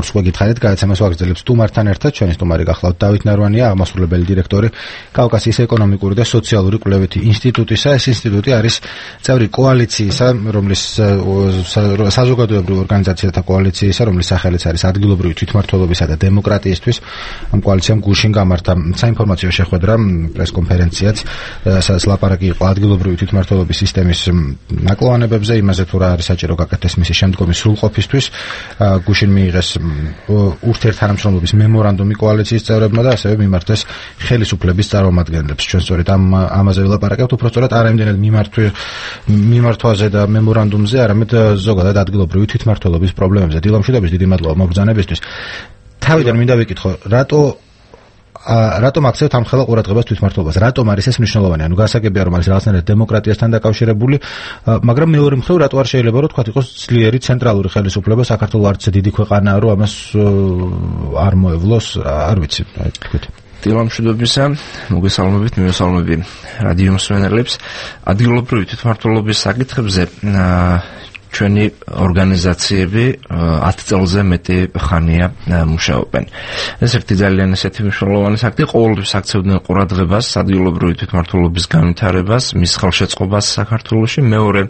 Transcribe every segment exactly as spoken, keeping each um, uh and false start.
სხვა გითხარით, გადაცემას ვაგრძელებს სტუმართან ერთად, ჩვენი სტუმარი გახლავთ დავით ნარვანია, აღმასრულებელი დირექტორი კავკასიის ეკონომიკური და სოციალური კვლევითი ინსტიტუტისა. ეს ინსტიტუტი არის წევრი კოალიციისა, რომლის საზოგადოებრივ ორგანიზაციათა კოალიციისა, რომლის სახელიც არის ადგილობრივი თვითმმართველობისა და დემოკრატიისთვის. ამ კოალიციამ გუშინ გამართა საინფორმაციო შეხვედრა, პრესკონფერენციაც, სადაც ლაპარაკი იყო ადგილობრივი თვითმმართველობის სისტემის ნაკლოვანებებზე, იმაზე თუ რა არის საჭირო გაკეთდეს მისი შემდგომი სრულყოფისთვის. გუშინ მიიღეს ურთიერთთანამშრომლობის მემორანდუმი კოალიციის წევრებმა და ასევე მიმართეს ხელისუფლების წარმომადგენლებს. ჩვენ სწორედ ამ ამაზე ვილაპარაკებთ, უბრალოდ არა იმდენად მიმართვაზე და მემორანდუმზე, არამედ ზოგადად ადგილობრივი თვითმმართველობის პრობლემებზე. დილამშვიდობის, დიდი მადლობა მოგბრძანებისთვის. თავიდან მინდა ვიკითხო, რატო რატომ აქცევთ ამ ხელა ყურადღებას თვითმმართველობას? რატომ არის ეს მნიშვნელოვანი? ანუ გასაგებია, რომ არის რაღაცნაირად დემოკრატიასთან დაკავშირებული, მაგრამ მეორე მხრივ რატო არ შეიძლება რომ თქვა იყოს ძლიერი ცენტრალური ხელისუფლება? საქართველოს არც დიდი ქვეყანაა, რომ ამას არ მოევლოს, არ ვიცი, აი თქვით. დილამშვიდობისა, მოგესალმებით, მივესალმები რადიო მსმენელებს. ადგილობრივი თვითმმართველობის საკითხებზე ჩვენი ორგანიზაციები ათ წელზე მეტი ხანია მუშაობენ. ეს ერთი ძალიან ესეთი მნიშვნელოვანი საკითხი, ყოველთვის აქცევდნენ ყურადღებას ადგილობრივი თვითმმართველობის განვითარებას, მის ხელშეწყობას საქართველოში. მეორე,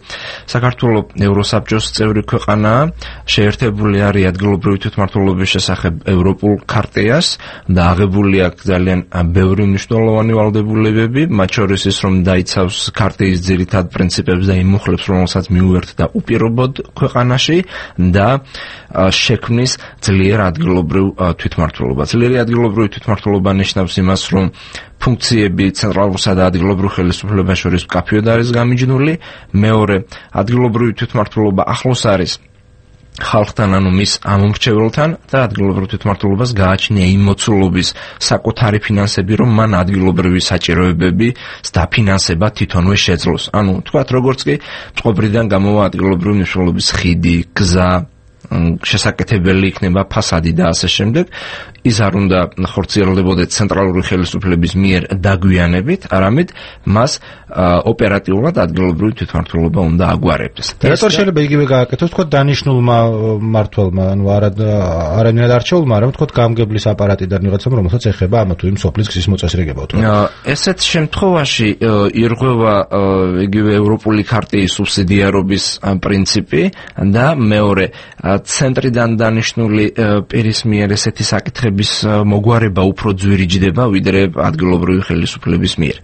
საქართველო ევროსაბჭოს წევრი ქვეყანაა, შეერთებული არის ადგილობრივი თვითმმართველობის შესახებ ევროპულ ქარტიას და აღებული აქვს ძალიან ბევრი მნიშვნელოვანი ვალდებულებები, მათ შორის ის, რომ დაიცავს ქარტიის ძირითად პრინციპებს და იმ მუხლებს, რომელსაც მიუერთდა უპირობოდ ქვეყანაში და შექმნის ძლიერ ადგილობრივ თვითმმართველობა. ძლიერი ადგილობრივი თვითმმართველობა ნიშნავს იმას, რომ ფუნქციები ცენტრალურსა და ადგილობრივ ხელისუფლებას შორის მკაფიოდ არის გამიჯნული. მეორე, ადგილობრივი თვითმმართველობა ახლოს არის ხალხთან, ანუ მის ამომრჩეველთან და ადგილობრივ თვითმმართველობას გააჩნია იმ მოცულობის საკუთარი ფინანსები, რომ მან ადგილობრივი საჭიროებების დაფინანსება თვითონვე შეძლოს. ანუ თქვათ, როგორც კი წყობრიდან გამოვა ადგილობრივი მნიშვნელობის ხიდი, გზა, შესაკეთებელი იქნება ფასადი და ასე შემდეგ, ის არ უნდა ხორციელდებოდეს ცენტრალური ხელისუფლების მიერ დაგვიანებით, არამედ მას ოპერატიულად ადგილობრივი თვითმმართველობა უნდა აგვარებდეს. რატო შეიძლება იგივე გააკეთოს, თქვა დანიშნულმა მმართველმა, ანუ არანაირად არჩეულმა, არამედ თქვა გამგებლის აპარატიდან ვიღაცამ, რომელსაც ეხება ამა თუ იმ სოფლის გზის მოწესრიგება. ესეთ შემთხვევაში ირღვევა იგივე ევროპული ქარტიის სუბსიდიარობის პრინციპი და მეორე, ცენტრიდან დანიშნული პირის მიერ ესეთი საკითხების მოგვარება უფრო ძვირიჯდება, ვიდრე ადგილობრივი ხელისუფლების მიერ.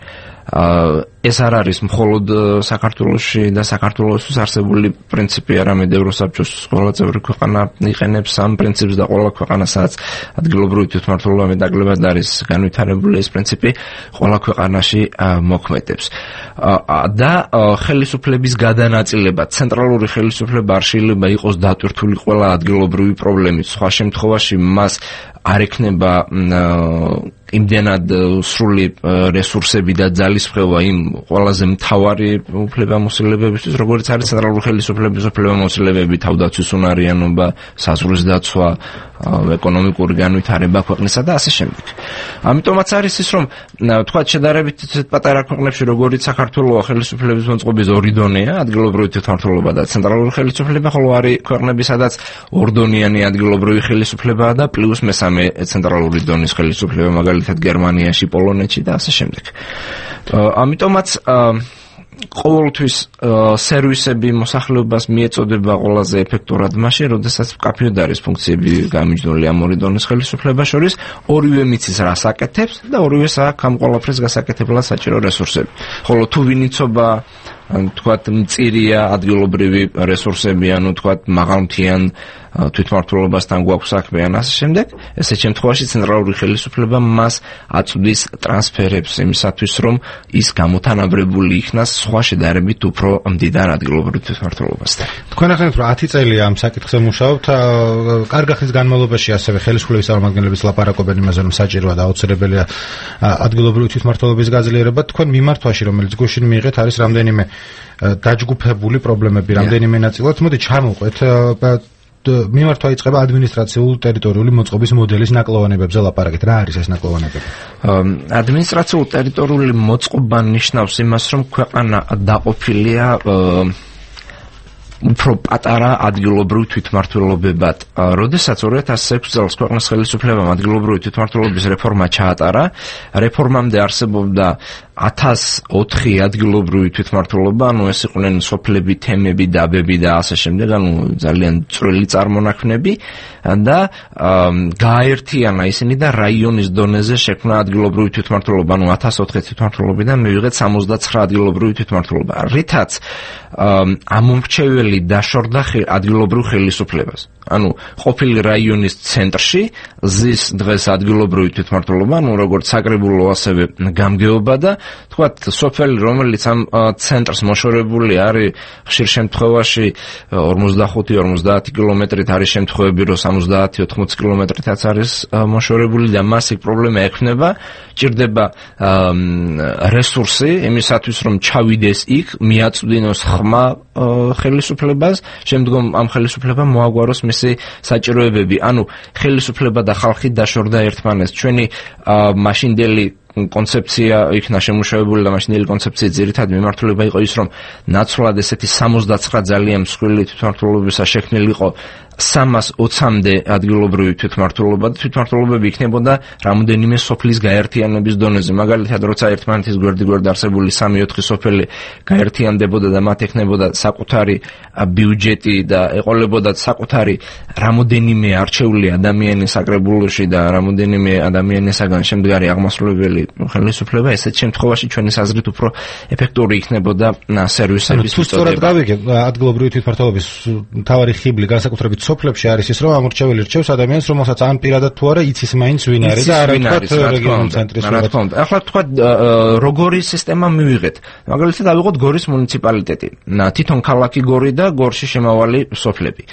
ეს არ არის მხოლოდ საქართველოში და საქართველოსთვის არსებული პრინციპი, არამედ ევროსაბჭოს ყველა წევრი ქვეყანა იყენებს ამ პრინციპს და ყველა ქვეყანა, სადაც ადგილობრივი თვითმმართველობა მეტაკლებად არის განვითარებული, ეს პრინციპი ყველა ქვეყანაში მოქმედებს. და ხელისუფლების გადანაწილება, ცენტრალური ხელისუფლება არ შეიძლება იყოს დატვირთული ყველა ადგილობრივი პრობლემით. სხვა შემთხვევაში მას არ ექნება იმდენად სრული რესურსები და ძალისხმევა იმ ყველაზე მთავარი უფლებამოსილებებისთვის, როგორც არის ცენტრალური ხელისუფლების უფლებამოსილებები, თავდაცვის უნარიანობა, საზღვრის დაცვა, ეკონომიკური განვითარება ქვეყნისა და ასე შემდეგ. ამიტომაც არის ის, რომ თქვათ შედარებით პატარა ქვეყნებში, როგორც საქართველოს ხელისუფლების მოწყობის ორი დონეა, ადგილობრივი თვითმმართველობა და ცენტრალური ხელისუფლება, ხოლო არის ქვეყნები, სადაც ორდონიანი ადგილობრივი ხელისუფლებაა და პლუს მესამე ცენტრალური დონის ხელისუფლება, მაგალითად გერმანიაში, პოლონეთში და ასე შემდეგ. ამიტომაც ყოველთვის სერვისები მოსახლეობას მიეწოდება ყველაზე ეფექტურად მაშინ, როდესაც მკაფიოდ არის ფუნქციები გამიჯნული ამ ორი დონის ხელისუფლებას შორის, ორივე მიცის რას აკეთებს და ორივეს აქვს ამ ყველაფრის გასაკეთებლად საჭირო რესურსები. ხოლო თუ ვინიცობა თქვათ მწირია ადგილობრივი რესურსები, ანუ თქვათ მაღალმთიან თვითმმართველობასთან გვაქვს საქმე ან ასე შემდეგ, ესეთ შემთხვევაში ცენტრალური ხელისუფლება მას აწვდის ტრანსფერებს იმისათვის, რომ ის გამოთანაბრებული იქნას სხვა შედარებით უფრო მდიდარ ადგილობრივ თვითმმართველობასთან. თქვენ ახლა რომ ათი წელია ამ საკითხზე მუშაობთ, კარგი ხნის განმავლობაში ასევე ხელისუფლების წარმომადგენლების ლაპარაკობენ იმაზე, რომ საჭიროა და აუცილებელია ადგილობრივი თვითმმართველობის გაძლიერება. თქვენ მიმართვაში, რომელიც გუშინ მიიღეთ, არის რამდენიმე დაჯგუფებული პრობლემები, რამდენიმე ნაწილად. მოდი ჩამოვყვეთ. მიმართვა იწყება ადმინისტრაციულ ტერიტორიული მოწყობის მოდელის ნაკლოვანებებზე ლაპარაკით. რა არის ეს ნაკლოვანებები? ადმინისტრაციულ ტერიტორიული მოწყობა ნიშნავს იმას, რომ ქვეყანა დაყოფილია უფრო პატარა ადგილობრივ თვითმმართველობებად. როდესაც ორი ათას ექვსი წელს ქვეყნის ხელისუფლებამ ადგილობრივი თვითმმართველობის რეფორმა ჩაატარა, რეფორმამდე არსებობდა ათას ოთხი ადგილობრივი თვითმმართველობა, ანუ ეს იყვნენ სოფლები, თემები, დაბები და ასე შემდეგ, ანუ ძალიან წვრილი წარმონაქმნები და გააერთიანა ისინი და რაიონის დონეზე შექმნა ადგილობრივი თვითმმართველობა, ანუ ათას ოთხი თვითმმართველობიდან მივიღეთ სამოცდაცხრა ადგილობრივი თვითმმართველობა, რითაც ამომრჩეველი დაშორდა ადგილობრივ ხელისუფლებას. ანუ ყოფილი რაიონის ცენტრში ზის დღეს ადგილობრივი თვითმმართველობა, ანუ როგორც საკრებულო, ასევე გამგეობა და თქვათ სოფელი, რომელიც ამ ცენტრს მოშორებული არის, ხშირ შემთხვევაში ორმოცდახუთი ორმოცდაათი კილომეტრით, არის შემთხვევები, რომ სამოცდაათი ოთხმოცი კილომეტრითაც არის მოშორებული და მას იქ პრობლემა ექმნება, ჭირდება რესურსი იმისათვის, რომ ჩავიდეს იქ, მიაწვდინოს ხმა ხელისუფლებას, შემდგომ ამ ხელისუფლებამ მოაგვაროს მისი საჭიროებები. ანუ ხელისუფლება და ხალხი დაშორდა ერთმანეთს. ჩვენი მაშინდელი კონცეფცია იქნა შემუშავებული და მაშინდელი კონცეფციის ძირითადი მიმართულება იყო ის, რომ ნაცვლად ესეთი სამოცდაცხრა ძალიან მსხვილი თვითმმართველობისა შექმნილიყო სამას ოცამდე ადგილობრივი თვითმმართველობა და თვითმმართველობები იქნებოდა რამოდენიმე სოფლის გაერთიანების დონეზე. მაგალითად, როცა ერთმანეთის გვერდ-გვერდ არსებული სამი ოთხი სოფელი გაერთიანდებოდა და მათ ექნებოდა საკუთარი ბიუჯეტი და ეყოლებოდათ საკუთარი რამოდენიმე არჩეული ადამიანი საკრებულოში და რამოდენიმე ადამიანისაგან შემდგარი აღმასრულებელი ხელისუფლება, ესეთ შემთხვევაში ჩვენი აზრით უფრო ეფექტური იქნებოდა სერვისების თუ სწორად გავიგე, ადგილობრივი თვითმმართველობის მთავარი ხიბლი განსაკუთრებით სოფლებში არის ის, რომ ამორჩეველი რჩევს ადამიანს, რომელსაც ან პირადად თუ არა იცის მაინც ვინ არის და არა თქვა რეგიონულ ცენტრის რა. ახლა თქვა როგორი სისტემა მივიღეთ. მაგალითად ავიღოთ გორის მუნიციპალიტეტი. თვითონ ქალაქი გორი და გორში შემავალი სოფლები.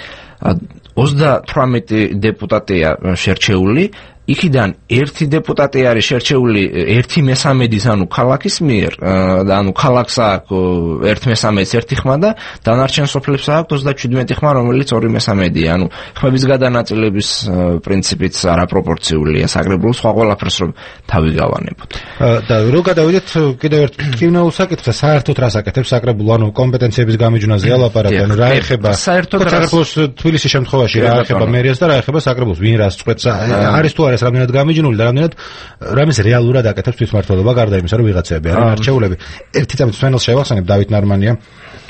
ოცდათვრამეტი დეპუტატია შერჩეული, იქიდან ერთი დეპუტატი არის შერჩეული ერთი მესამედის, ანუ ქალაქის მიერ, და ანუ ქალაქს აქვს ერთ მესამედის ერთი ხმა და დანარჩენ სოფლებს აქვს ოცდაჩვიდმეტი ხმა, რომელიც ორი მესამედია. ანუ ხმების გადანაწილების პრინციპიც არაპროპორციულია საკრებულოს, სხვა ყველაფერს რომ თავი გავანებოთ. და რო გადავიდეთ კიდევ ერთ კინოულ საკითხზე, საერთოდ რას აკეთებს საკრებულო, ანუ კომპეტენციების გამიჯვნაზე ალაპარაკი, ანუ რა ეხება საკრებულოს თბილისის შემთხვევაში, რა ეხება მერიას და რა ეხება საკრებულოს, ვინ რას წყვეტს, არის თუ არა რამდენად გამიჯნული და რამდენად რამის რეალურად აკეთებს თვითმმართველობა, გარდა იმისა, რომ ვიღაცები არიან არჩეულები. ერთი წამით სვენელს შევახსენებ, დავით ნარმანია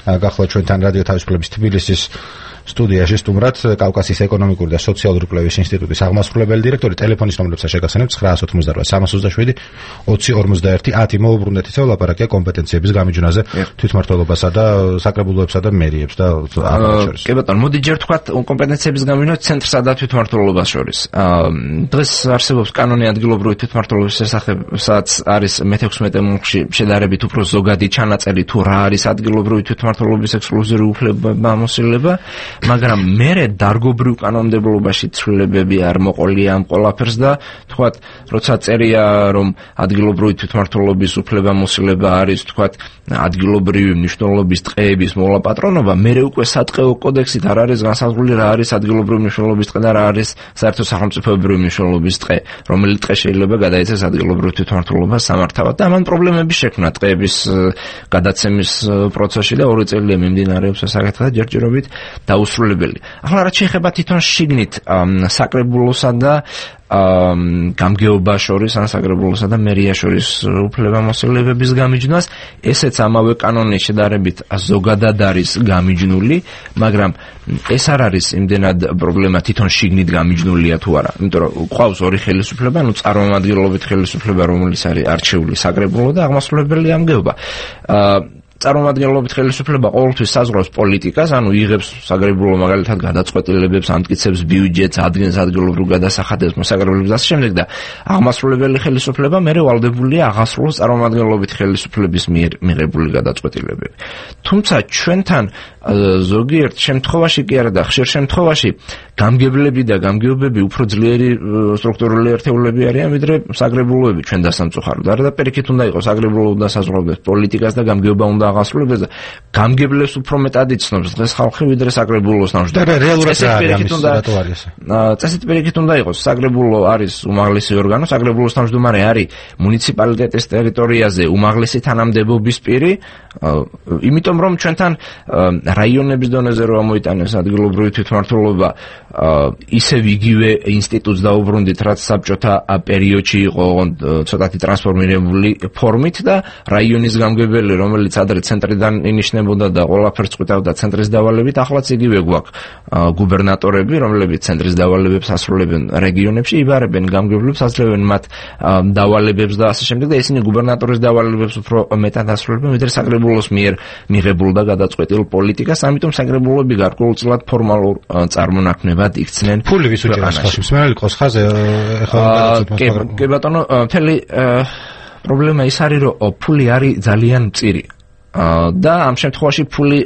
გახლავთ ჩვენთან რადიო თავისუფლების თბილისის სტუდიაში სტუმრად, კავკასიის ეკონომიკური და სოციალური კვლევის ინსტიტუტის აღმასრულებელი დირექტორი. ტელეფონის ნომრებსაც შეგახსენებთ ცხრა ოცდაოთხმოცდარბა სამას ოცდაშვიდი ოცი ორმოცდაერთი ათი. მოუბრუნდეთ ისევ ლაპარაკია კომპეტენციების გამიჯვნაზე თვითმმართველობასა და საკრებულოებსა და მერიებს და ამას შორის. კი ბატონო, მოდი ჯერ თქვათ კომპეტენციების გამიჯვნა ცენტრსა და თვითმმართველობას შორის. დღეს არსებობს კანონი ადგილობრივი თვითმმართველობის შესახებ, სადაც არის მეთექვსმეტე მუნქში შედარებით უფრო ზოგადი ჩანაწერი თუ რა არის ადგილობრივი თვითმმართველობის ექსკლუზიური უფლებება, მოსილება. მაგრამ მერე დარგობრივ კანონმდებლობაში ცვლილებები არ მოყოლია ამ ყველაფერს და თქვათ, როცა წერია, რომ ადგილობრივი თვითმმართველობის უფლებამოსილება არის, თქვათ, ადგილობრივი მნიშვნელობის ტყეების მოვლა-პატრონობა, მერე უკვე სატყეო კოდექსით არ არის განსაზღვრული რა არის ადგილობრივი მნიშვნელობის ტყე და რა არის საერთო სახელმწიფოებრივი მნიშვნელობის ტყე, რომელი ტყე შეიძლება გადაეცეს ადგილობრივ თვითმმართველობას სამართავად და ამან პრობლემები შექმნა ტყეების გადაცემის პროცესში და ორი წელია მიმდინარეობს ეს საკითხი და ჯერჯერობით დაუსრულებელი. ახლა რაც შეეხება თვითონ შიგნით საკრებულოსა და გამგეობა შორის, ან საკრებულოსა და მერია შორის უფლებამოსილებების გამიჯვნას, ესეც ამავე კანონის შედარებით ზოგადად არის გამიჯნული, მაგრამ ეს არ არის იმდენად პრობლემა თვითონ შიგნით გამიჯნულია თუ არა. იმიტომ რომ ყავს ორი ხელისუფლება, ანუ წარმომადგენლობით ხელისუფლება, რომელიც არის არჩეული საკრებულო და აღმასრულებელი გამგეობა. წარმომადგენლობით ხელისუფლება ყოველთვის საზღვრავს პოლიტიკას, ანუ იღებს საკრებულო მაგალითად გადაწყვეტილებებს, ამტკიცებს ბიუჯეტს, ადგენს ადგილობრივ გადასახადებს, მოსაგრებლებს და ასე შემდეგ და აღმასრულებელი ხელისუფლება მერე ვალდებულია აღასრულოს წარმომადგენლობით ხელისუფლების მიერ მიღებული გადაწყვეტილებები. თუმცა ჩვენთან ზოგიერთ შემთხვევაში კი არა და ხშირ შემთხვევაში გამგებლები და გამგეობები უფრო ძლიერი სტრუქტურული ერთეულები არიან, ვიდრე საკრებულოები ჩვენ დასამწუხაროდ. არადაპირიქით უნდა იყოს საკრებულო უნდა საზღვრავდეს პოლიტიკას და გამგეობა უნდა აღასრულებს და გამგებლებს უფრო მეტად იცნობს დღეს ხალხი ვიდრე საკრებულოს ნამუშევრს. და რეალურად რა არის ამის რატო არის ეს? წესით პირიქით უნდა იყოს. საკრებულო არის უმაღლესი ორგანო, საკრებულოს თავმჯდომარე არის მუნიციპალიტეტის ტერიტორიაზე უმაღლესი თანამდებობის პირი, იმიტომ რომ ჩვენთან რაიონების დონეზე რო ამოიტანეს ადგილობრივი თვითმმართველობა, ისევ იგივე ინსტიტუტს დაუბრუნდით, რაც საბჭოთა პერიოდში იყო ცოტათი ტრანსფორმირებული ფორმით და რაიონის გამგებელი, რომელიც ადრე ცენტრიდან ინიშნებოდა და ყველაფერს წყვიტავდა ცენტრის დავალებით, ახლაც იგივე გვაქვს გუბერნატორები, რომლებიც ცენტრის დავალებებს ასრულებენ რეგიონებში, იბარებენ გამგებლებს, ასრულებენ მათ დავალებებს და ასე შემდეგ და ისინი გუბერნატორის დავალებებს უფრო მეტად ასრულებენ, ვიდრე საკრებულოს მიერ მიღებულ და გადაწყვეტილ პოლიტიკას, ამიტომ საკრებულოები გარკვეულწილად ფორმალურ წარმონაქმნებად იქცნენ. ფული ვის უჭერს ხალხს? მსმენელი ყოს ხაზე ეხლა გადაწყვეტილება. კი ბატონო, მთელი პრობლემა ის არის, რომ ფული არის ძალიან მწირი. და ამ შემთხვევაში ფული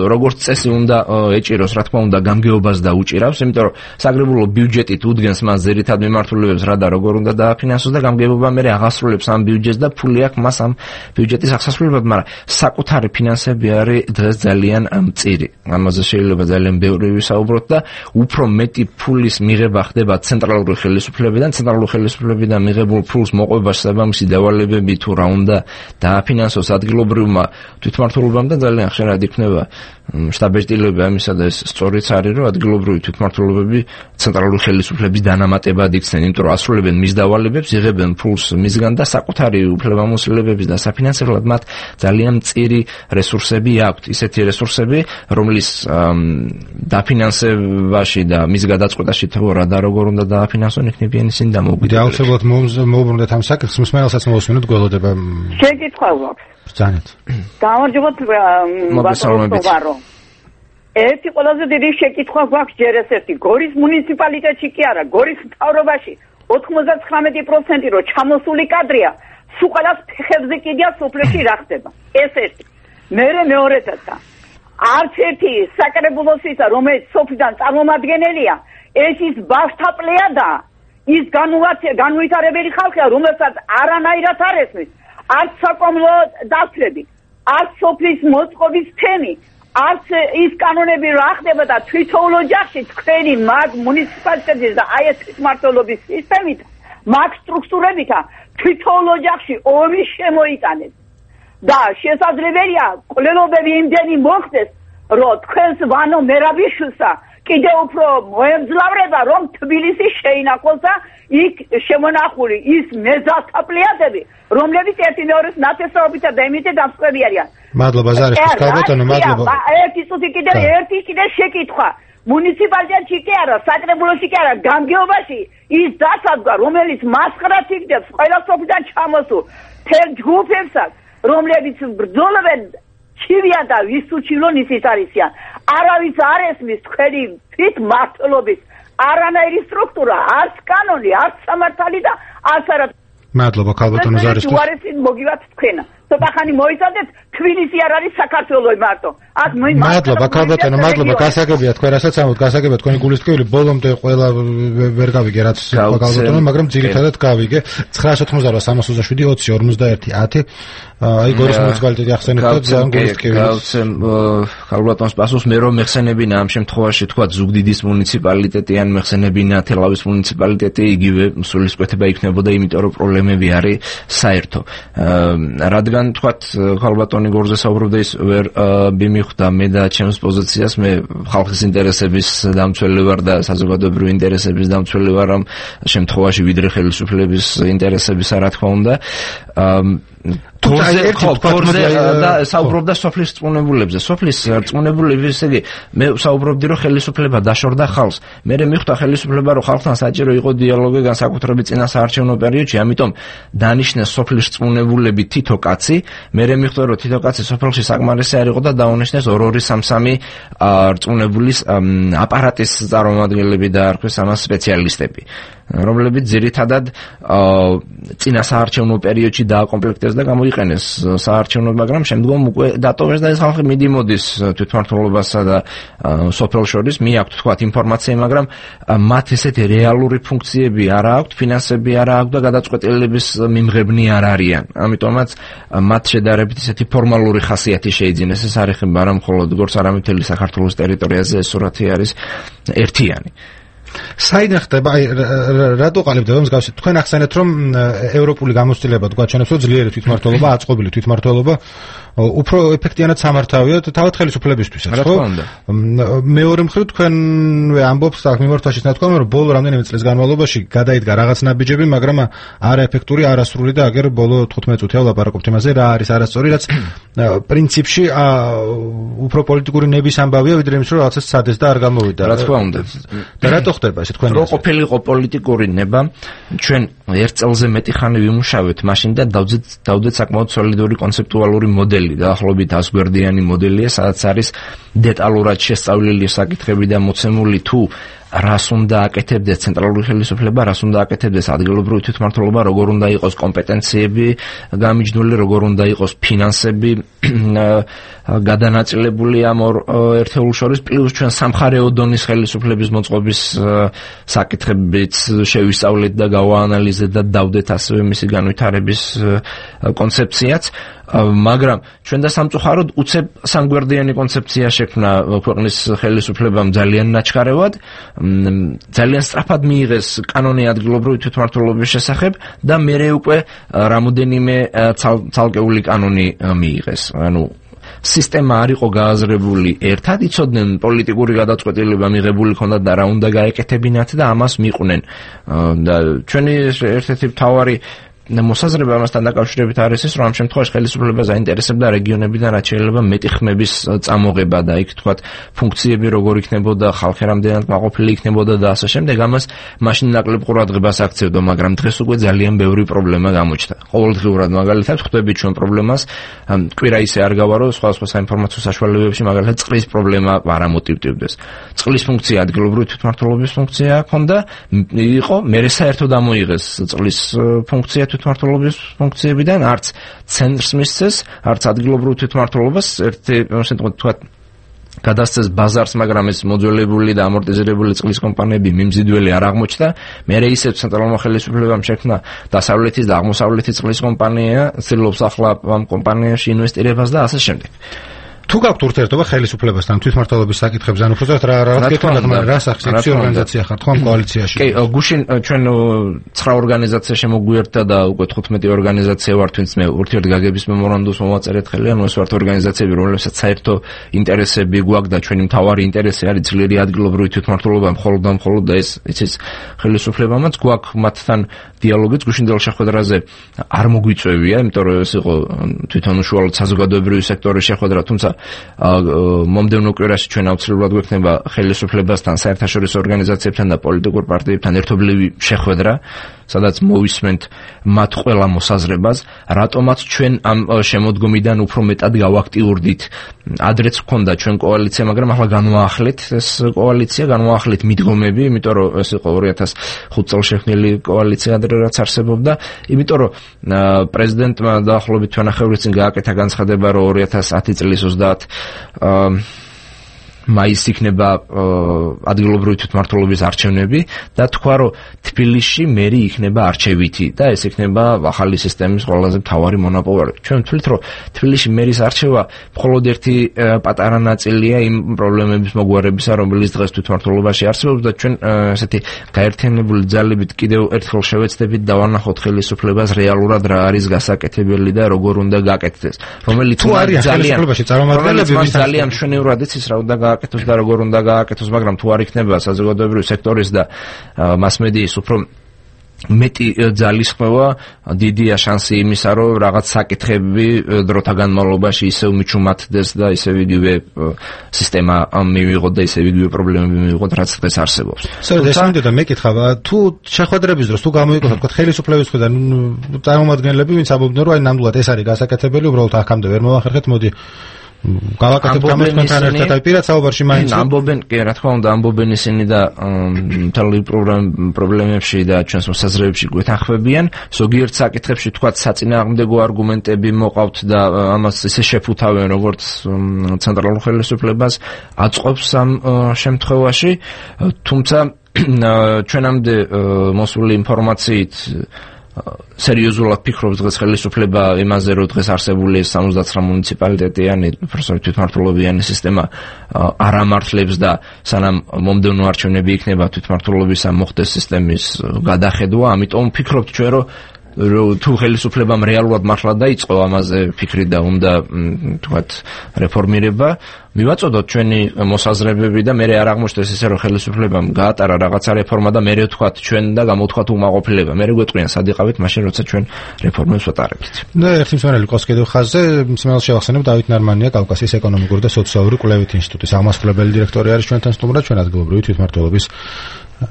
როგორც წესი უნდა ეჭიროს, რა თქმა უნდა, გამგეობას და უჭირავს, იმიტომ რომ საკრებულო ბიუჯეტით უდგენს მას ზერითად მიმართულებებს, რა და როგორ უნდა დააფინანსოს და გამგეობა მერე აღასრულებს ამ ბიუჯეტს და ფული აქვს მას ამ ბიუჯეტის აღსასრულებლად, მაგრამ საკუთარი ფინანსები არის დღეს ძალიან მწირი. ამაზე შეიძლება ძალიან ბევრი ვისაუბროთ და უფრო მეტი ფულის მიღება ხდება ცენტრალური ხელისუფლებიდან, ცენტრალური ხელისუფლებიდან მიღებულ ფულს მოყვება შესაბამისი დავალებები თუ რა უნდა დააფინანსოს ადგილობრივმა თვითმმართველობამ და ძალიან ხშირად იქნება შტაბ-ეჭდილება ამისა და ეს სწორიც არის, რომ ადგილობრივი თვითმმართველობები ცენტრალური ხელისუფლების დანამატებად იქცნენ, იმიტომ რომ ასრულებენ მის დავალებებს, იღებენ ფულს მისგან და საკუთარი უფლებამოსილებების და საფინანსებლად მათ ძალიან მწირი რესურსები აქვთ, ისეთი რესურსები, რომლის დაფინანსებაში და მის გადაწყვეტაში თუ რა და როგორ უნდა დააფინანსონ, იქნებიან ისინი დამოუკიდებელი. აუცილებლად მოუბრუნდეთ ამ საკითხს, მსმენელსაც მოვუსმინოთ, გველოდება. შეკითხვა გვაქვს. ბრძანეთ. გამარჯობათ ბატონო. ერთი ყველაზე დიდი შეკითხვა გვაქვს ჯერ ეს ერთი. გორის მუნიციპალიტეტში კი არა, გორის მთავრობაში ოთხმოცდათხრამეტი პროცენტი რო ჩამოსული კადრია, სულ ყველას ფეხებზე კიდია სოფლებში რა ხდება. ეს ერთი. მერე მეორედაც არც ერთი საკრებულოსისა, რომელიც სოფლიდან წარმომადგენელია, ეს ის ბავშთა პლეადა, ის განუვითარებელი ხალხია, რომელსაც არანაირად არ ესმის. არც საკომლო დაცლები, არც სოფლის მოწყობის თემი, არც ის კანონები რა ხდება და თვითოულ ოჯახში თქვენი მაგ მუნიციპალიტეტის და აი ეს თვითმმართველობის სისტემით, მაგ სტრუქტურებით თვითოულ ოჯახში ომი შემოიტანეს. და შესაძლებელია კვლელობები იმდენი მოხდეს, რომ თქვენს ვანო მერაბიშვილსა კიდევ უფრო მოემძლავრება, რომ თბილისი შეინახოს და იქ შემონახული ის მეზალთა პლეადები, რომლებიც ერთი მეორეს ნათესაობითა და იმით დამსწრები არიან. მადლობა ზარიშვილ, კალბატონო, მადლობა. ერთი წუთი კიდევ ერთი კიდევ შეკითხვა. მუნიციპალიტეტში კი არა, საკრებულოში კი არა, გამგეობაში ის დასადგა, რომელიც მასყრად იგდებს ყველა სოფლიდან ჩამოსულ თელ ჯგუფებსაც, რომლებიც ბრძოლობენ ჩივიან და ვის უჩივლონ ისიც არისიან. არავის არ ესმის თქვენი თვითმმართველობის არანაირი სტრუქტურა, არც კანონი, არც სამართალი და არც არა. მადლობა კალბატონო ზარიშვილ. უარესით მოგივათ თქვენა. ცოტა ხანი მოიცადეთ, თბილისი არ არის საქართველოს მარტო. აქ მადლობა კალბატონო, მადლობა, გასაგებია თქვენ რასაც ამბობთ, გასაგებია თქვენი გულისწყრული, ბოლომდე ყველა ვერ გავიგე რაც კალბატონო, მაგრამ ძირითადად გავიგე. ცხრაას ოთხმოცდარვა, სამას ოცდაშვიდი, ოცი, ორმოცდაერთი, ათი. აი გორის მუნიციპალიტეტი ახსენებთ და ძალიან გულისწყრული. გავცემ კალბატონს პასუხს, მე რომ მეხსენებინა ამ შემთხვევაში თქვა ზუგდიდის მუნიციპალიტეტი ან მეხსენებინა თელავის მუნიციპალიტეტი, იგივე სულისკვეთება იქნებოდა, იმიტომ რომ პრობლემები არის საერთო. რადგან თქვათ კალბატონი გორზე საუბრობდა, ის ვერ მიმიხვდა მე და ჩემს პოზიციას, მე ხალხის ინტერესების დამცველი ვარ და საზოგადოებრივი ინტერესების დამცველი ვარ ამ შემთხვევაში, ვიდრე ხელისუფლების ინტერესებისა, რა თქმა უნდა. თორზე თორზე და საუბრობდა სოფლის რწმუნებულებზე. სოფლის რწმუნებულები, ესე იგი, მე საუბრობდი, რომ ხელისუფლება დაშორდა ხალხს. მე მეხვდა ხელისუფლება, რომ ხალხთან საჭირო იყო დიალოგი განსაკუთრებით წინა საარჩევნო პერიოდში, ამიტომ დანიშნეს სოფლის რწმუნებულები თითო კაცი. მე მეხვდა, რომ თითო კაცი სოფელში საკმარისი არ იყო და დაუნიშნეს ორ-ორი სამ-სამი რწმუნებულის აპარატის წარმომადგენლები დაარქვეს ამას სპეციალისტები, რომლებიც ძირითადად წინა საარჩევნო პერიოდში დააკომპლექტეს და გამოიყენეს მოიყენეს საარჩევნოდ, მაგრამ შემდგომ უკვე დატოვეს და ეს ხალხი მიდიმოდის თვითმმართველობასა და სოფელს შორის, მიაქვთ თქვათ ინფორმაცია, მაგრამ მათ ესეთი რეალური ფუნქციები არ აქვთ, ფინანსები არ აქვთ და გადაწყვეტილების მიმღებნი არ არიან. ამიტომაც მათ შედარებით ესეთი ფორმალური ხასიათი შეიძინეს. ეს არ ეხება არა მხოლოდ როგორც არა მთელი საქართველოს ტერიტორიაზე, ეს სურათი არის ერთიანი. საიდან ხდება, აი რატო ყალიბდება მსგავსი? თქვენ ახსენეთ, რომ ევროპული გამოცდილება თქვა ჩვენებს, რომ ძლიერი თვითმმართველობა, აწყობილი თვითმმართველობა უფრო ეფექტიანად სამართავია თავად ხელისუფლებისთვისაც, ხო? მეორე მხრივ თქვენვე ამბობთ აქ მიმართვაშიც ნათქვამი, რომ ბოლო რამდენიმე წლის განმავლობაში გადაიდგა რაღაც ნაბიჯები, მაგრამ არაეფექტური, არასრული და აგერ ბოლო თხუთმეტ წუთია ვლაპარაკობთ იმაზე, რა არის არასწორი, რაც პრინციპში უფრო პოლიტიკური ნების ამბავია, ვიდრე იმის, რომ რაღაცას ცადეს და არ გამოვიდა. რა თქმა უნდა. და რატო ხდება ესე თქვენ? რო ყოფილიყო პოლიტიკური ნება, ჩვენ ერთ წელზე მეტი ხანი ვიმუშავეთ მაშინ და დავძეთ დავდეთ საკმაოდ სოლიდური კონცეპტუალური მოდელი. დაახლოებით ას გვერდიანი მოდელია, სადაც არის დეტალურად შესწავლილი საკითხები და მოცემული თუ რას უნდა აკეთებდეს ცენტრალური ხელისუფლება, რას უნდა აკეთებდეს ადგილობრივი თვითმმართველობა, როგორ უნდა იყოს კომპეტენციები გამიჯნული, როგორ უნდა იყოს ფინანსები გადანაწილებული ამ ორ ერთეულს შორის, პლუს ჩვენ სამხარეო დონის ხელისუფლების მოწყობის საკითხებიც შევისწავლეთ და გავაანალიზეთ და დავდეთ ასევე მისი განვითარების კონცეფციაც. მაგრამ ჩვენ და სამწუხაროდ უცებ სამგვერდიანი კონცეფცია შექმნა ქვეყნის ხელისუფლებამ ძალიან ნაჩქარევად, ძალიან სწრაფად მიიღეს კანონი ადგილობრივი თვითმმართველობის შესახებ და მერე უკვე რამოდენიმე ცალკეული კანონი მიიღეს. ანუ სისტემა არ იყო გააზრებული ერთად, იცოდნენ პოლიტიკური გადაწყვეტილება მიღებული ქონდათ და რა უნდა გაეკეთებინათ და ამას მიყვნენ. და ჩვენი ერთ-ერთი მთავარი მოსაზრება ამასთან დაკავშირებით არის ის, რომ ამ შემთხვევაში ხელისუფლება დაინტერესებდა რეგიონებიდან რაც შეიძლება მეტი ხმების წამოღება და იქ თქვათ ფუნქციები როგორ იქნებოდა, ხალხი რამდენად მაყოფილი იქნებოდა და ასე შემდეგ. ამას მაშინ ნაკლებ ყურადღებას აქცევდა, მაგრამ დღეს უკვე ძალიან ბევრი პრობლემა გამოჩნდა. ყოველდღიურად მაგალითად ხვდებით ჩვენ პრობლემას, კვირა ისე არ გავარო სხვადასხვა საინფორმაციო საშუალებებში, მაგალითად წყლის პრობლემა არ ამოტივტივდეს. წყლის ფუნქცია ადგილობრივი თვითმმართველობის ფუნქცია ჰქონდა, იყო, მერე საერთოდ ამოიღეს წყლის ფუნქცია თვითმმართველობის ფუნქციებიდან, არც ცენტრს მისცეს, არც ადგილობრივ თვითმმართველობას, ერთი ასე ვთქვათ, გადასცეს ბაზარს, მაგრამ ეს მოძველებული და ამორტიზირებული წყლის კომპანიები მიმზიდველი არ აღმოჩნდა. მერე ისევ ცენტრალურმა ხელისუფლებამ შექმნა დასავლეთის და აღმოსავლეთის წყლის კომპანია, ცდილობს ახლა ამ კომპანიაში ინვესტირებას და ასე შემდეგ. თუ გაქვთ ურთიერთობა ხელისუფლებასთან თვითმმართველობის საკითხებზე, ანუ უბრალოდ რა რა გეკითხოთ, მაგრამ რა სახის ორგანიზაცია ხართ ხო ამ კოალიციაში? კი, გუშინ ჩვენ ცხრა ორგანიზაცია შემოგვიერთდა და უკვე თხუთმეტი ორგანიზაცია ვართ, ვინც მე ურთიერთგაგების მემორანდუმს მოვაწერეთ ხელი, ანუ ეს ვართ ორგანიზაციები, რომლებსაც საერთო ინტერესები გვაქვს და ჩვენი მთავარი ინტერესი არის ძლიერი ადგილობრივი თვითმმართველობა, მხოლოდ და მხოლოდ და ეს იცის ხელისუფლებამაც გვაქვს მათთან დიალოგიც გუშინდელ შეხვედრაზე არ მოგვიწევია, იმიტომ რომ ეს იყო თვითონ უშუალოდ საზოგადოებრივი სექტორის შეხვედრა, თუმცა მომდევნო კვირაში ჩვენ აუცილებლად გვექნება ხელისუფლებასთან, საერთაშორისო ორგანიზაციებთან და პოლიტიკურ პარტიებთან ერთობლივი შეხვედრა, სადაც მოვისმენთ მათ ყველა მოსაზრებას, რატომაც ჩვენ ამ შემოდგომიდან უფრო მეტად გავაქტიურდით. ადრეც ჰქონდა ჩვენ კოალიცია, მაგრამ ახლა განვაახლეთ ეს კოალიცია, განვაახლეთ მიდგომები, იმიტომ რომ ეს იყო ორი ათას ხუთ წელს შექმნილი კოალიცია, ადრე რაც არსებობდა, იმიტომ რომ პრეზიდენტმა დაახლოებით თვენახევრის წინ გააკეთა განცხადება, რომ ორი ათას ათი წლის ოცდაათ მაისს იქნება ადგილობრივი თვითმმართველობის არჩევნები და თქვა, რომ თბილისში მერი იქნება არჩევითი და ეს იქნება ახალი სისტემის ყველაზე მთავარი მონაპოვარი. ჩვენ ვთვლით, რომ თბილისში მერის არჩევა მხოლოდ ერთი პატარა ნაწილია იმ პრობლემების მოგვარებისა, რომელიც დღეს თვითმმართველობაში არსებობს და ჩვენ ესეთი გაერთიანებული ძალებით კიდევ ერთხელ შევეცდებით და ვანახოთ ხელისუფლებას რეალურად რა არის გასაკეთებელი და როგორ უნდა გაკეთდეს. რომელიც ძალიან ძალიან მშვენივრად იცის რა უნდა გააკეთოს და როგორ უნდა გააკეთოს, მაგრამ თუ არ იქნება საზოგადოებრივი სექტორის და მასმედიის უფრო მეტი ძალისხმევა, დიდია შანსი იმისა, რომ რაღაც საკითხები დროთა განმავლობაში ისევ მიჩუმათდეს და ისევ იგივე სისტემა მივიღოთ და ისევ იგივე პრობლემები მივიღოთ, რაც დღეს არსებობს. სწორედ ეს მინდოდა მეკითხა, თუ შეხვედრების დროს თუ გამოიყო თქვა ხელისუფლების მხრიდან წარმომადგენლები, ვინც ამბობდნენ, რომ აი ნამდვილად ეს არის გასაკეთებელი, უბრალოდ აქამდე ვერ მოვახერხეთ, მოდი გავაკეთებ გამოსთან ერთად აი პირად საუბარში მაინც ამბობენ კი რა თქმა უნდა ამბობენ ისინი და მთელი პრობლემებში და ჩვენს მოსაზრებებში გვეთანხმებიან ზოგიერთ საკითხებში თქვათ საწინააღმდეგო არგუმენტები მოყავთ და ამას ისე შეფუთავენ როგორც ცენტრალურ ხელისუფლებას აწყობს ამ შემთხვევაში თუმცა ჩვენამდე მოსული ინფორმაციით სერიოზულად ფიქრობს დღეს ხელისუფლება იმაზე, რომ დღეს არსებული სამოცდათვრამეტ მუნიციპალიტეტიანი თვითმმართველობიანი სისტემა არ ამართლებს და სანამ მომდევნო არჩევნები იქნება თვითმმართველობის ამ მოხდეს სისტემის გადახედვა, ამიტომ ფიქრობთ ჩვენ, რომ თუ ხელისუფლებამ რეალურად მართლა დაიწყო ამაზე ფიქრი და უნდა თქვათ რეფორმირება მივაწოდოთ ჩვენი მოსაზრებები და მე არ აღმოჩნდეს ისე რომ ხელისუფლებამ გაატარა რაღაცა რეფორმა და მე თქვათ ჩვენ და გამოვთქვათ უმაყოფილება მე გვეტყვიან სად იყავით მაშინ როცა ჩვენ რეფორმებს ვატარებთ და ერთი მსმენელი ყავს კიდევ ხაზზე მსმენელს შევახსენებ დავით ნარმანია კავკასიის ეკონომიკური და სოციალური კვლევითი ინსტიტუტის აღმასრულებელი დირექტორი არის ჩვენთან სტუმრად ჩვენ ადგილობრივი თვითმმართველობის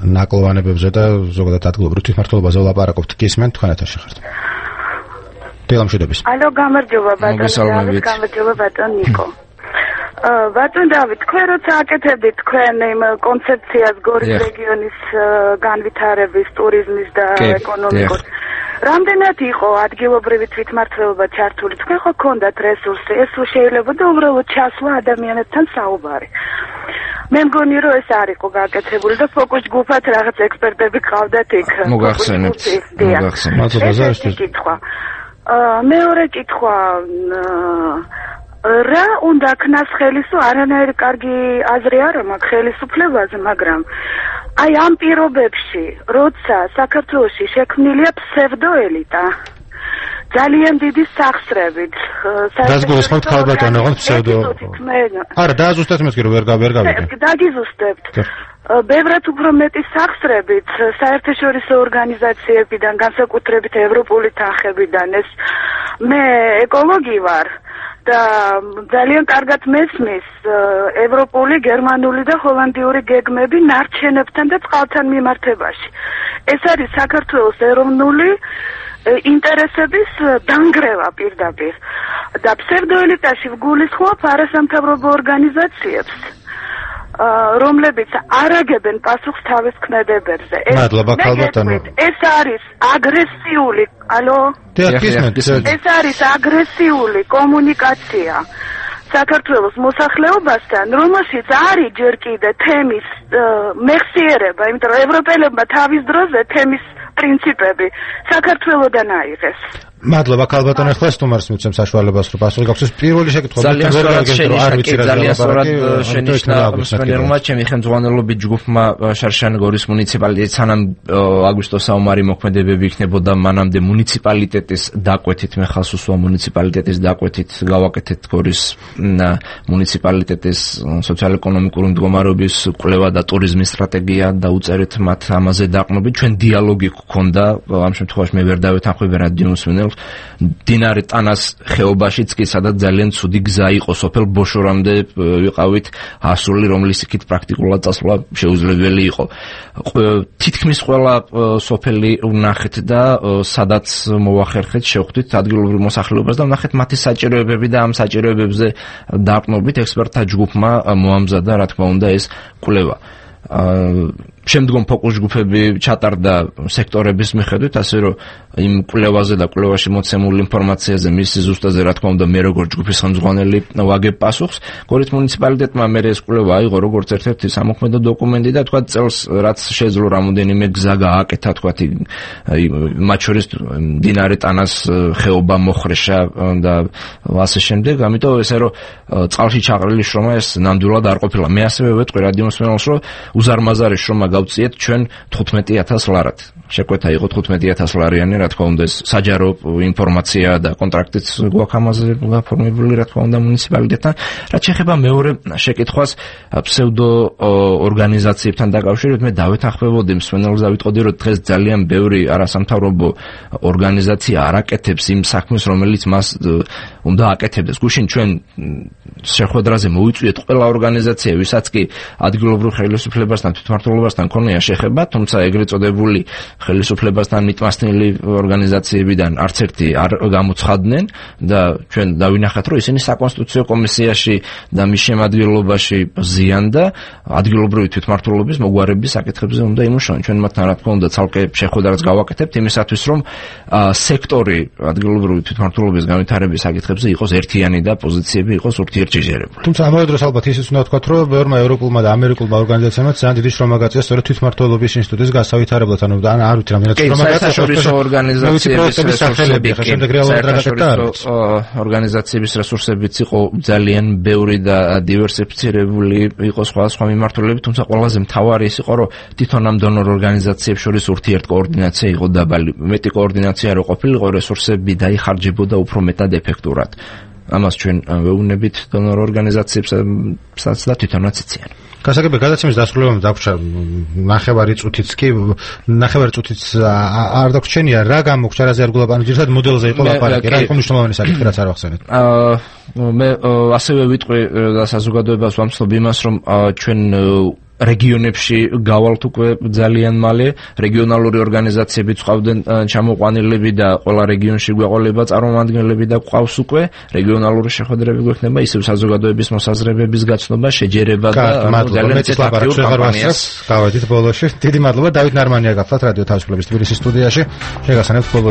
ნაკლოვანებებზე და ზოგადად ადგილობრივ თვითმმართველობაზე ვლაპარაკობთ გისმენთ თქვენ ეთერში ხართ დილამშვიდობის ალო გამარჯობა ბატონო გამარჯობა ბატონ ნიკო ბატონ დავით თქვენ როცა აკეთებდით თქვენ იმ კონცეფციას გორის რეგიონის განვითარების ტურიზმის და ეკონომიკის რამდენად იყო ადგილობრივი თვითმმართველობა ჩართული თქვენ ხო გქონდათ რესურსი ეს შეიძლება და უბრალოდ ჩასვლა ადამიანებთან საუბარი მე მგონი რომ ეს არ იყო გაკეთებული და ფოკუს ჯგუფად რაღაც ექსპერტები ყავდათ იქ მოგახსენებთ მოგახსენებთ კითხვა მეორე კითხვა რა უნდა ქნას ხელისო არანაირი კარგი აზრი არ მაქვს ხელისუფლებაზე მაგრამ აი ამ პირობებში როცა საქართველოში შექმნილია ფსევდოელიტა ძალიან დიდი სახსრებით რაც გულისხმობთ ხალბატონო ოღონდ ფსევდო არა დააზუსტეთ მეთქი რომ ვერ ვერ გავიგე დაგიზუსტებთ ბევრად უფრო მეტი სახსრებით საერთაშორისო ორგანიზაციებიდან განსაკუთრებით ევროპული თანხებიდან ეს მე ეკოლოგი ვარ და ძალიან კარგად მესმის ევროპული, გერმანული და ჰოლანდიური გეგმები ნარჩენებთან და წყალთან მიმართებაში. ეს არის საქართველოს ეროვნული ინტერესების დანგრევა პირდაპირ და ფსევდოელიტაში ვგულისხმობ არასამთავრობო ორგანიზაციებს რომლებიც არაგებენ პასუხს თავის ქმედებებზე. მადლობა ქალბატონო. ეს არის აგრესიული, ალო? ეს არის აგრესიული კომუნიკაცია საქართველოს მოსახლეობასთან, რომელშიც არის ჯერ კიდე თემის მეხსიერება, იმიტომ რომ ევროპელებმა თავის დროზე თემის პრინციპები საქართველოდან აიღეს. მადლობა ქალბატონო, ახლა სტუმარს მიცემ საშუალებას რომ პასუხი გაქვს. პირველი შეკითხვა ძალიან სწორად შენიშნა მსმენელმა ჩემი ხელმძღვანელობით ჯგუფმა შარშან გორის მუნიციპალიტეტის სანამ აგვისტოს საომარი მოქმედებები იქნებოდა მანამდე მუნიციპალიტეტის დაკვეთით მე ხალხს უსვა მუნიციპალიტეტის დაკვეთით გავაკეთეთ გორის მუნიციპალიტეტის სოციალ-ეკონომიკური მდგომარეობის კვლევა და ტურიზმის სტრატეგია და უწერეთ მათ ამაზე დაყრდნობით ჩვენ დიალოგი გქონდა ამ შემთხვევაში მე ვერ დავეთანხმები რადიო მსმენელს დინარე ტანას ხეობაშიც კი სადაც ძალიან ცუდი გზა იყო სოფელ ბოშორამდე ვიყავით ასული რომლის იქით პრაქტიკულად წასვლა შეუძლებელი იყო თითქმის ყველა სოფელი ვნახეთ და სადაც მოვახერხეთ შევხვდით ადგილობრივ მოსახლეობას და ვნახეთ მათი საჭიროებები და ამ საჭიროებებზე დაყრდნობით ექსპერტთა ჯგუფმა მოამზადა რა თქმა უნდა ეს კვლევა შემდგომ ფოკუს ჯგუფები ჩატარდა სექტორების მიხედვით, ასე რომ იმ კვლევაზე და კვლევაში მოცემულ ინფორმაციაზე მისი ზუსტაზე რა თქმა უნდა მე როგორც ჯგუფის ხელმძღვანელი ვაგებ პასუხს. გორის მუნიციპალიტეტმა მე ეს კვლევა აიღო როგორც ერთ-ერთი სამოქმედო დოკუმენტი და თქვა წელს რაც შეძლო რამოდენიმე გზა გააკეთა თქვა მათ შორის დინარე ტანას ხეობა მოხრეშა და ასე შემდეგ. ამიტომ ესე რომ წყალში ჩაყრილი შრომა ეს ნამდვილად არ ყოფილა. მე ასევე ვეტყვი რადიო მსმენელს რომ უზარმაზარი შრომა გავწიეთ ჩვენ თხუთმეტი ათას ლარად. შეკვეთა იყო თხუთმეტი ათას ლარიანი, რა თქმა უნდა, ეს საჯარო ინფორმაცია და კონტრაქტიც გვაქვს ამაზე გაფორმებული, რა თქმა უნდა, მუნიციპალიტეტთან. რაც შეეხება მეორე შეკითხვას ფსევდო ორგანიზაციებთან დაკავშირებით, მე დავეთანხმებოდი მსმენელს და ვიტყოდი, რომ დღეს ძალიან ბევრი არასამთავრობო ორგანიზაცია არ აკეთებს იმ საქმეს, რომელიც მას უნდა აკეთებდეს. გუშინ ჩვენ შეხვედრაზე მოვიწვიეთ ყველა ორგანიზაცია, ვისაც კი ადგილობრივ ხელისუფლებასთან, თვითმმართველობასთან საკითხებთან ქონია შეხება, თუმცა ეგრეთ წოდებული ხელისუფლებასთან მიტმასტნილი ორგანიზაციებიდან არც ერთი არ გამოცხადდნენ და ჩვენ დავინახეთ, რომ ისინი საკონსტიტუციო კომისიაში და მის შემადგენლობაში ზიან და ადგილობრივი თვითმმართველობის მოგვარების საკითხებზე უნდა იმუშაონ. ჩვენ მათთან რა თქმა უნდა ცალკე შეხვედრას გავაკეთებთ იმისათვის, რომ სექტორი ადგილობრივი თვითმმართველობის განვითარების საკითხებზე იყოს ერთიანი და პოზიციები იყოს ურთიერთშეჯერებული. თუმცა ამავე დროს ალბათ ისიც უნდა ვთქვათ, რომ ბევრმა ევროპულმა და ამერიკულმა ორგანიზაციებმა ძალიან დიდი შრომა გაწია სწორედ თვითმმართველობის ინსტიტუტის განსავითარებლად, ანუ ან არ ვიცი რამდენად შრომა გაწია საერთაშორისო ორგანიზაციების რესურსები, შემდეგ რეალურად რა გაკეთდა. ორგანიზაციების რესურსებიც იყო ძალიან ბევრი და დივერსიფიცირებული იყო სხვადასხვა მიმართულებით, თუმცა ყველაზე მთავარი ის იყო, რომ თვითონ ამ დონორ ორგანიზაციებს შორის ურთიერთკოორდინაცია იყო დაბალი. მეტი კოორდინაცია რო ყოფილიყო, რესურსები დაიხარჯებოდა უფრო მეტად ეფექტურად. ამას ჩვენ ვეუბნებით დონორ ორგანიზაციებსაც და თვითონაც იციან. გასაგებია გადაცემის დასრულებამ დაგვრჩა ნახევარი წუთიც კი ნახევარი წუთიც არ დაგვრჩენია რა გამოგვრჩა რაზე არ გულაპარაკე ძირითადად მოდელზე იყო ლაპარაკი რა იყო მნიშვნელოვანი საკითხი რაც არ ვახსენეთ. აა მე ასევე ვიტყვი და საზოგადოებას ვამცნობ იმას რომ ჩვენ რეგიონებში გავალთ უკვე ძალიან მალე რეგიონალური ორგანიზაციებიც ყავდნენ ჩამოყვანილები და ყველა რეგიონში გვეყოლება წარმომადგენლები და ყავს უკვე რეგიონალური შეხვედრები გვექნება ისევ საზოგადოების მოსაზრებების გაცნობა შეჯერება და ძალიან წლაპარაკი კამპანიას გავედით ბოლოში დიდი მადლობა დავით ნარმანია გახლავთ რადიო თავისუფლების თბილისის სტუდიაში შეგასანებთ ბოლო